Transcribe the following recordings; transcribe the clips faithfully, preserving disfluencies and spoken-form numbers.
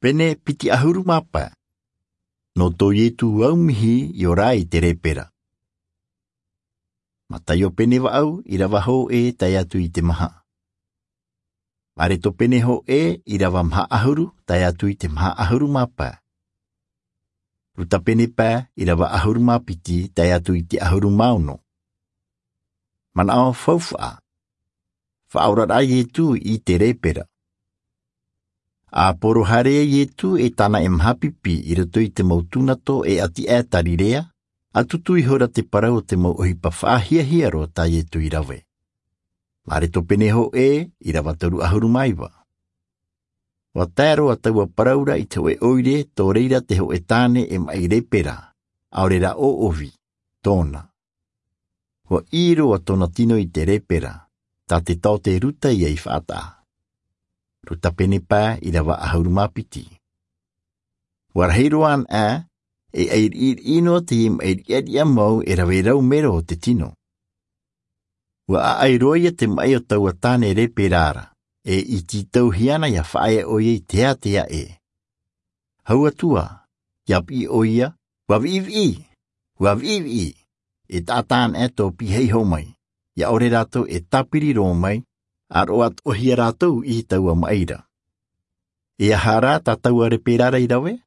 Pene piti ʻahuru mā pae. Nō tō Ietu aumihi i ora ai te lepera. Mataio pene vaʻu, ʻirava hōʻē tae atu i te maha. Mareto pene hōʻē, ʻirava maha ʻahuru tae atu i te maha ʻahuru mā pae. Ruta pene pae, ʻirava ʻahuru mā piti tae atu i te ʻahuru mā ono. Manaʻo faufaʻa. Faʻaoraraʻa a Ietu i te lepera. A poro haere a Ietu e tāna e maha pipi i roto i te mau tūnato e ʻati aʻe Tarirea, a tutu ihora te parau o te mau ʻohipa faʻahiahia roa tā Ietu i rave. Mareto pene hōʻē, ʻirava toru ʻahuru mā iva. ʻUa tae roa taua parau ra i te hōʻē ʻoire, tō reira te hōʻē tāne e maʻi lepera, ʻaore rā ʻōʻovi, tōna. ʻUa ʻī roa tōna tino i te lepera, tā te taote Ruta ia i faʻataʻa. Ruta pene pae, ʻirava ʻahuru mā piti. ʻUa rahi roa anaʻe, e ʻairiʻiriʻi noa teie maʻi riʻariʻa mau e rave rau mero o te tino. ʻUa ʻaʻai roa ia te maʻi o taua tāne lepera ra, e i tītauhia na ʻia faʻaea ʻoia i te ātea ē. Hau atu ā, ʻia piʻi ʻoia, ʻUa viʻiviʻi! ʻUa viʻiviʻi! E taʻata anaʻe tō pihaʻi iho mai, ʻia ʻore rātou e tāpiri roa mai, ʻa roaʻa atoʻa hia rātou i taua maʻi ra. E aha rā tā taua lepera ra i rave?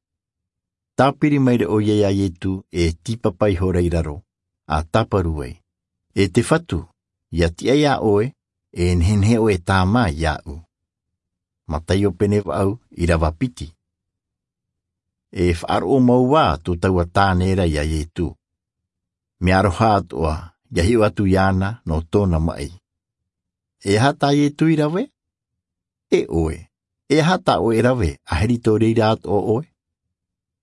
Tāpiri maira ʻoia ia Ietu, e tīpapa ihora i raro, a tāparu ai, E te Fatu, ʻia tiʻa ia ʻoe, e nehenehe ʻoe e tāmā iāʻu. Mataio pene vaʻu, ʻirava piti. E faʻaroʻo mau ā tō taua tāne ra ia Ietu. Mea aroha atoʻa, ʻia hiʻo atu iāna nō tōna maʻi. E aha tā Ietu i rave? E ʻoe, e aha tā ʻoe e rave, ʻahiri tō reira atoʻa ʻoe?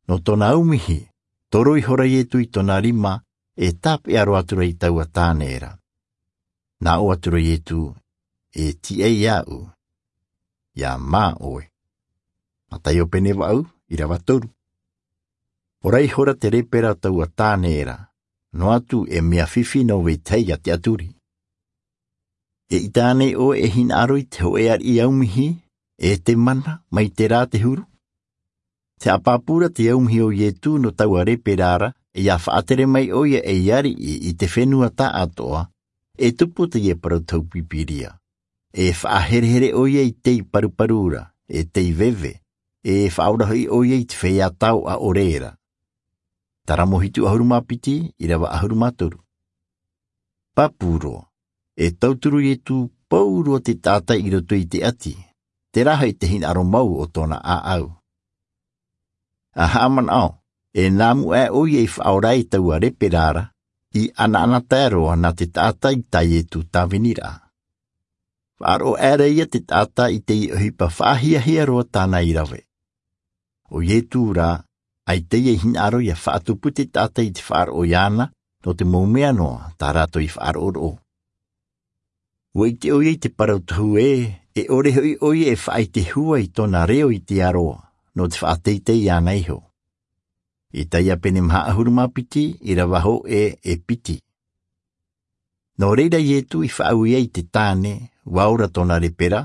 Nō tōna aumihi, toro ihora Ietu i tōna rima, e tāpeʻa roa atu ra i taua tāne ra. Nā ʻō atu ra Ietu, E tiʻa iāʻu, ʻia mā ʻoe. Mataio pene vaʻu, ʻirava toru. Ora ihora te lepera o taua tāne ra, noa atu e mea fifi nō vetahi ʻa te ʻaturi. E ʻita ānei ʻoe e hinaʻaro i te hōʻē ariʻi aumihi, e te mana, mai terā te huru? Tē haʻapāpū ra te aumihi o Ietu nō taua lepera ra, ʻia faʻatere mai ʻoia ei ariʻi i te fenua tāʻatoʻa, e tupu teie parau tau Pīpīria. E faʻaherehere ʻoia i tei paruparu ra, e tei veve, e faʻaora hoʻi ʻoia i te feiā tao ʻaʻore ra. Taramo hitu ʻahuru mā piti, ʻirava ʻahuru mā toru. Pāpū roa, e tauturu Ietu pauroa te taʻata i roto i te ʻati, terā hoʻi te hinaʻaro mau o tōna ʻāʻau. A haʻamanaʻo, e nā mua aʻe ʻoia i faʻaora i taua lepera ra, i ʻanaʻanatae roa nā te taʻata i tā Ietu tāviniraʻa. Faʻaroʻo aʻera ia te taʻata i te ʻohipa faʻahiahia roa tāna i rave. ʻO Ietu rā, ʻaita ia i hinaʻaro ʻia faʻatupu te taʻata i te faʻaroʻo iāna, nō te mau mea noa tā rātou i faʻaroʻoroʻo. ʻUa ʻite ʻoia i te parau tohu ē, e ʻore hoʻi ʻoia e faʻaʻite hua i tōna reo i te aroa, nō te faʻateitei iāna iho. Isaia pene maha ʻahuru mā piti, ʻirava hōʻē e piti. Nō reira Ietu i faʻaue ai i te tāne, ʻua ora tōna lepera,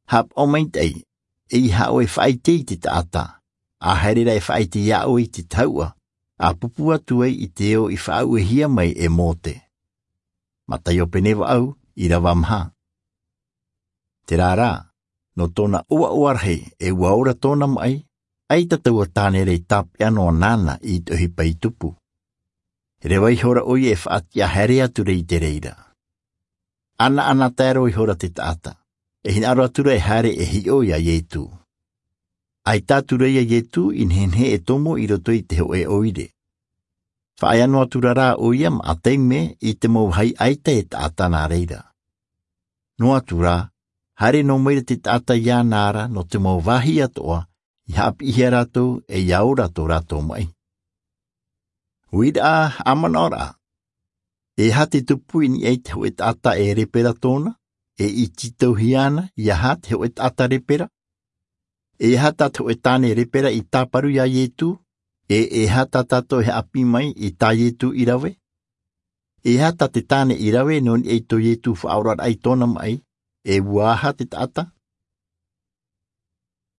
haʻapaʻo maitaʻi, ʻeiaha ʻoe e faʻaʻite i te taʻata, ʻa haere rā e faʻaʻite iā ʻoe i te tahuʻa, ʻa pupu atu ai i te ao i faʻauehia mai e Mōte. Mataio pene vaʻu, ʻirava maha. Terā rā, nō tōna ʻoaʻoa rahi, e ʻua ora tōna maʻi, ʻaita taua tāne ra i tāpeʻa noa nāna i te ʻohipa i tupu. Reva ihora ʻoia e faʻatiʻa haere atu ra i te reira. ʻAnaʻanatae roa ihora te taʻata, e hinaʻaro atu ra e haere e hiʻo iā Ietu. ʻAita atu ra ia Ietu i nehenehe e tomo i roto i te hōʻē ʻoire. Faʻaea noa atu ra rā ʻoia maʻa taime i te mau vāhi ʻaita e taʻata nā reira. Noa atu rā, haere noa mai ra te taʻata iāna ra nō te mau vāhi atoʻa, i haʻapiʻihia rātou, e ʻia ora tō rātou maʻi. Uiraʻa, haʻamanaʻoraʻa. E aha te tupu i niʻa i te hōʻē taʻata e lepera tōna, e i tītauhia na, ʻeiaha te hōʻē taʻata lepera? E aha tā te hōʻē tāne lepera i tāparu iā Ietu, e e aha tā tātou e haʻapiʻi mai i tā Ietu i rave? E aha tā te tāne i rave nō niʻa i tō Ietu faʻaoraraʻa i tōna maʻi, e ʻua aha te taʻata?